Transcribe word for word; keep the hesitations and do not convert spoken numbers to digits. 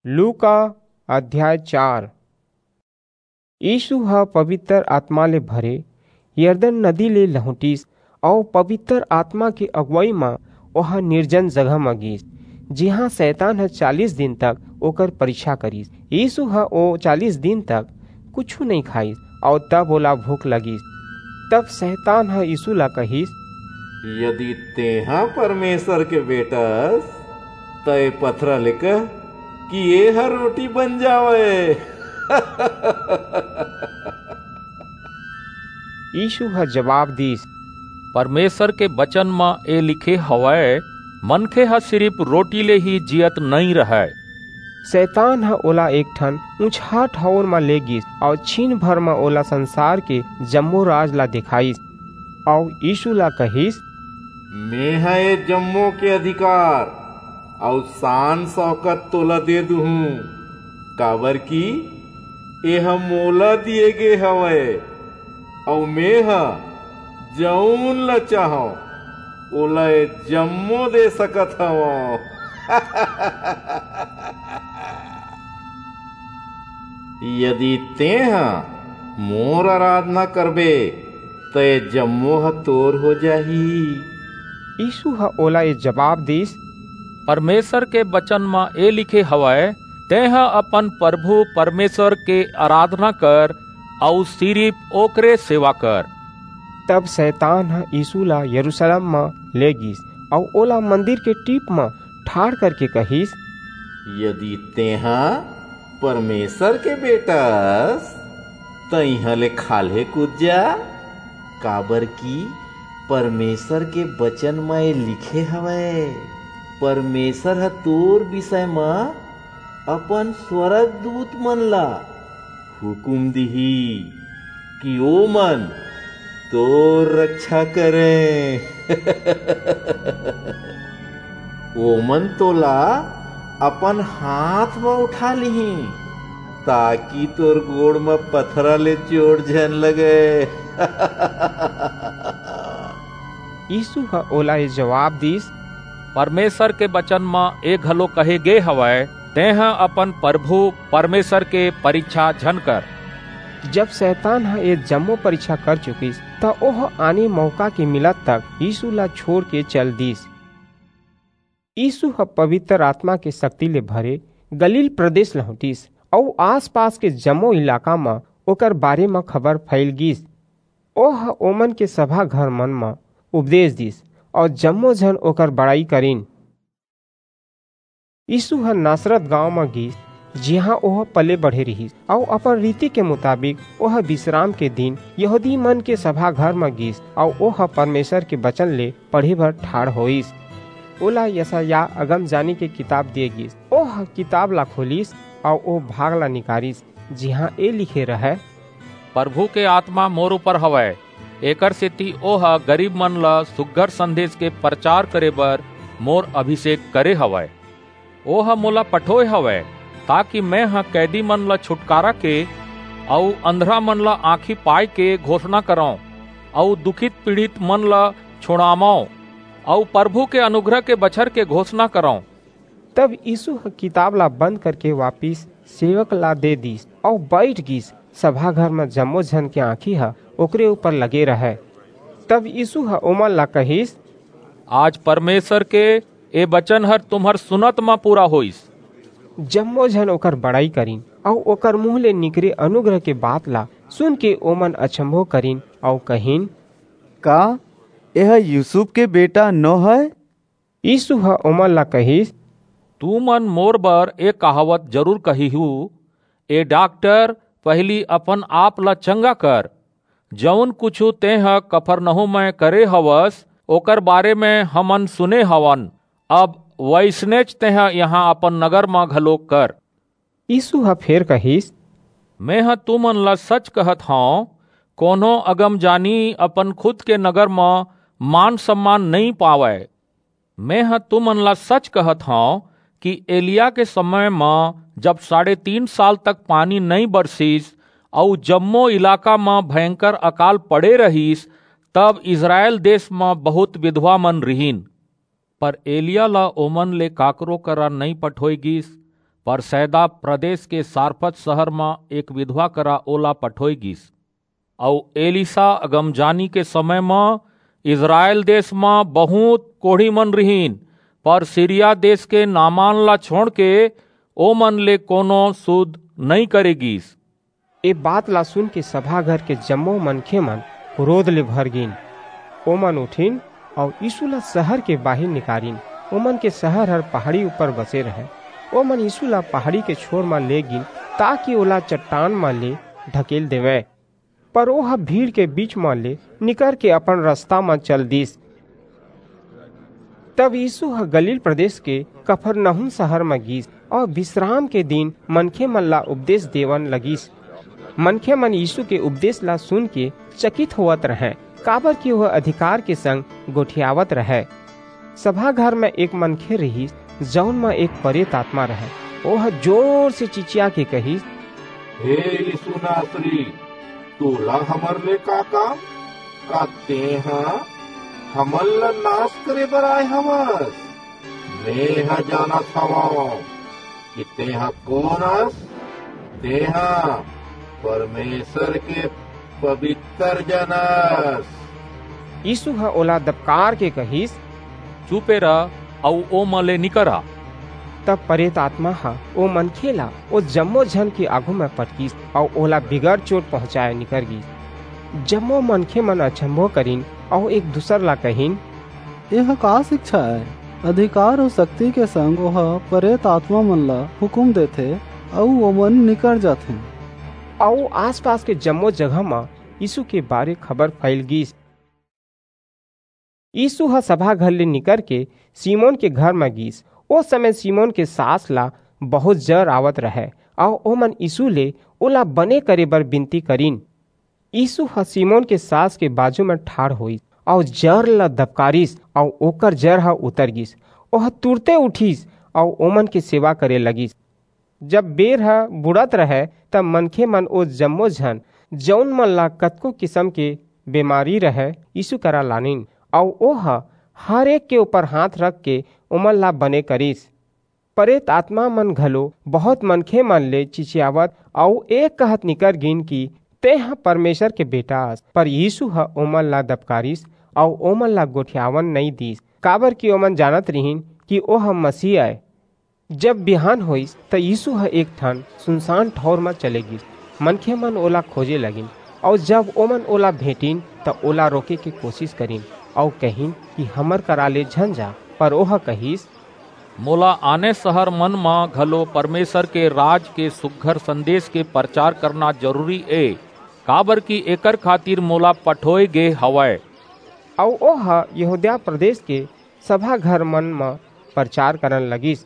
लूका अध्याय चार। यीशु ह पवित्र आत्मा ले भरे यरदन नदी ले लहुटिस अऊ पवित्र आत्मा के अगुवई म ओह निर्जन जगह म गीस, जिहां शैतान ह चालीस दिन तक ओकर परीक्षा करिस। यीशु ह ओ चालीस दिन तक कुछु नइं खाइस अऊ तब ओला भूख लगिस। तब शैतान ह यीशु ला कहिस, "यदि तेंह परमेसर के बेटा अस, त ए पथरा ले कह कि एह रोटी बन जावय।" यीशु ह जबाब दीस, "परमेसर के बचन म ए लिखे हवय, 'मनखे ह सिरिप रोटी ले ही जीयत नइं रहय।'" शैतान ह ओला एक ठन ऊंचहा ठऊर म ले गीस अऊ छीन भर म ओला संसार के जम्मो राज ला देखाइस अऊ यीशु ला कहिस, "मेंह ए जम्मो के अधिकार अऊ सान-सौकत तोला दे दुहूं, काबरकि एह मोला दिये गे हवय, अऊ मेंह जऊन ला चाहंव, ओला ए जम्मो दे सकत हवंव।" यदि तेंह मोर अराधना करबे, त ए जम्मो ह तोर हो जाही। यीशु ह ओला ए जबाब दीस, "परमेसर के बचन म ए लिखे हवय, 'तेंह अपन परभू परमेसर के अराधना कर अऊ सिरिप ओकरे सेवा कर।'" तब शैतान ह यीशु ला यरूसलेम म ले गीस अऊ ओला मंदिर के टीप म ठाढ़ करके कहिस, "यदि तेंह परमेसर के बेटा अस, त इहां ले खाल्हे कूद जा, काबरकि परमेसर के बचन म ए लिखे हवय, 'परमेसर ह तोर बिसय म अपन स्वरगदूतमन ला हुकूम दिही कि ओमन तोर रक्छा करंय। ओमन तोला अपन हांथ म उठा लिहीं, ताकि तोर गोड़ म पथरा ले चोट झन लगय।" यीसू ह ओला ए जबाब दीस, परमेसर के बचन म ए घलो कहे गे हवय, "तेंह अपन परभू परमेसर के परीछा झन कर।" जब सैतान ह ए जम्मो परीछा कर चुकिस, त ओह आने मऊका के मिलत तक यीसू ला छोंड़ के चल दीस। यीसू ह पबितर आतमा के सक्ति ले भरे गलील प्रदेस लहुंटिस, अऊ आस-पास के जम्मो इलाका म ओकर बारे म खबर फइल गीस। ओह ओमन के सभा घरमन म उपदेस दीस, अऊ जम्मो झन ओकर बड़ई करिन। यीसू ह नासरत गांव म गीस, जिहां ओह पले-बढ़े रिहिस, अऊ अपन रीति के मुताबिक ओह बिसराम के दिन यहूदीमन के सभा घर म गीस, अऊ ओह परमेसर के बचन ले पढ़े बर ठाढ़ होईस। ओला यसायाह अगमजानी के किताब दिये गीस। ओह किताब ला खोलिस, अऊ ओ भाग ला निकारिस, जिहां ए लिखे रहय, "परभू के आतमा मोर ऊपर हवय, एकरसेति ओह गरीबमन ला सुघर संदेस के परचार करे बर मोर अभिसेक करे हवय। ओह मोला पठोय हवय, ताकि मेंह कैदीमन ला छुटकारा के, अऊ अंधरामन ला आंखी पाय के घोसना करंव, अऊ दुखित-पीड़ितमन ला छुड़ावंव, अऊ परभू के अनुग्रह के बछर के घोसना करंव।" तब यीसू ह किताब ला बंद करके वापिस सेवक ला दे दीस, अऊ बईठ गीस। सभा घर म जम्मो झन के आंखी ह ओकरे ऊपर लगे रहय। तब यीसू ह ओमन ला कहिस, "आज परमेसर के ए बचन हर तुम्हर सुनत म पूरा होईस।" जम्मो झन ओकर बड़ई करिन, अऊ ओकर मुहूं ले निकरे अनुग्रह के बात ला सुनके ओमन अचम्भो करिन, अऊ कहिन, "का एह यूसुफ के बेटा नो हय?" यीसू ह ओमन ला कहिस, "तुमन मोर बर ए कहावत जरूर कहिहू, 'ए डाक्टर, पहिली अपन-आप ला चंगा कर। जऊन कुछू तेंह कफरनहूम म करे हवस, ओकर बारे म हमन सुने हवन। अब वइसनेच तेंह इहां अपन नगर म घलो कर।" यीसू ह फेर कहिस, "मेंह तुमन ला सच कहत हंव, कोनो अगमजानी अपन खुद के नगर म मान-सम्मान नइं पावय। मेंह तुमन ला सच कहत हंव कि एलिय्याह के समय म, जब साढ़े तीन साल तक पानी नइं बरसिस अऊ जम्मो इलाका म भयंकर अकाल पड़े रहिस, तब इसरायल देस म बहुंत बिधवामन रिहिन। पर एलिय्याह ला ओमन ले काकरो करा नइं पठोय गीस, पर सैदा प्रदेश के सारपत शहर म एक विधवा करा ओला पठोय गीस। अऊ एलीसा अगमजानी के समय म इस्राएल देश म बहुत कोढ़ी मन रिहिन, पर सीरिया देश के नामान ला छोंड़ के ओमन ले कोनो सुध नइं करे गीस। ए बात ला सुन के सभा घर के जम्मो मनखे मन क्रोध ले भर गीन। ओमन उठिन अऊ यीशु ला शहर के बाहिर निकारिन। ओमन के शहर हर पहाड़ी ऊपर बसे रहय। ओमन यीशु ला पहाड़ी के छोर म ले गीन, ताकि ओला चट्टान म ले ढकेल देवय। पर ओह भीड़ के बीच म ले निकर के अपन रस्ता म चल दीस। तब यीशु ह गलील प्रदेश के कफरनहूम शहर म गीस अऊ विश्राम के दिन मनखे मन ला उपदेश देवन लगिस। मनखे मन यीशु के उपदेश ला सुन के चकित होवत रहंय, काबर कि ओह अधिकार के संग गोठियावत रहय। सभा घर म एक मनखे रिहिस, जऊन म एक परेत आत्मा रहय। ओह जोर से चिचिया के कहिस, "हे यीशु नासरी, तोला हमर ले का काम? का तेंह हमन ला नास करे बर आय हवस? मेंह जानत हवंव कि तेंह कोन अस। तेंह परमेसर के पबितर जन अस।" यीसू ह ओला दबकार के कहिस, "चुपे रह अऊ ओमा ले निकर आ।" तब परेत आतमा ह ओ मनखे ला ओ जम्मो झन के आघू म पटकिस अऊ ओला बिगर चोट पहुंचाय निकर गीस। जम्मो मनखे मन अचंभो करिन अऊ एक दूसर ला कहिन, "एह का सिकछा अय? अधिकार अऊ सक्ति के संग ओह परेत आतमा मन ला हुकूम देथे अऊ ओमन निकर जाथें।" अऊ आसपास के जम्मो जगह म यीसू के बारे खबर फइल गीस। यीसू ह सभा घर ले निकरके सिमोन के घर म गीस। ओ समय सिमोन के सास ला बहुंत जर आवत रहय, अऊ ओमन यीसू ले ओला बने करे बर बिनती करिन। यीसू ह सिमोन के सास के बाजू म ठाढ़ होईस, अऊ जर ला दबकारिस, अऊ ओकर जर ह उतर गीस। ओह तुरते उठिस, अऊ ओमन के सेवा करे लगिस। जब बेर ह बुड़त रहय, तब मनखे मन ओ जम्मो झन, जऊन मन ला कतको किसम के बेमारी रहय, यीसू करा लानिन, अऊ ओह हर एक के ऊपर हांथ रखके ओमन ला बने करिस। परेत आतमा मन घलो बहुंत मनखे मन ले चिचियावत अऊ ए कहत निकर गीन कि, "तेंह परमेसर के बेटा अस।" पर यीसू ह ओमन ला दबकारिस अऊ ओमन ला गोठियावन नइं दीस, काबरकि ओमन जानत रिहिन कि ओह मसीह अय। जब बिहान होईस, त यीसू ह एक ठन सुनसान ठऊर म चले गीस। मनखे मन ओला खोजे लगिन, अऊ जब ओमन ओला भेंटिन, त ओला रोके के कोसिस करिन, अऊ कहिन कि, "हमर करा ले झन जा।" पर ओह कहिस, "मोला आने सहर मन म घलो परमेसर के राज के सुघर संदेस के परचार करना जरूरी ए, काबरकि एकर खातिर मोला पठोय गे हवय।" अऊ ओह यहूदिया प्रदेस के सभा घर मन म परचार करन लगिस।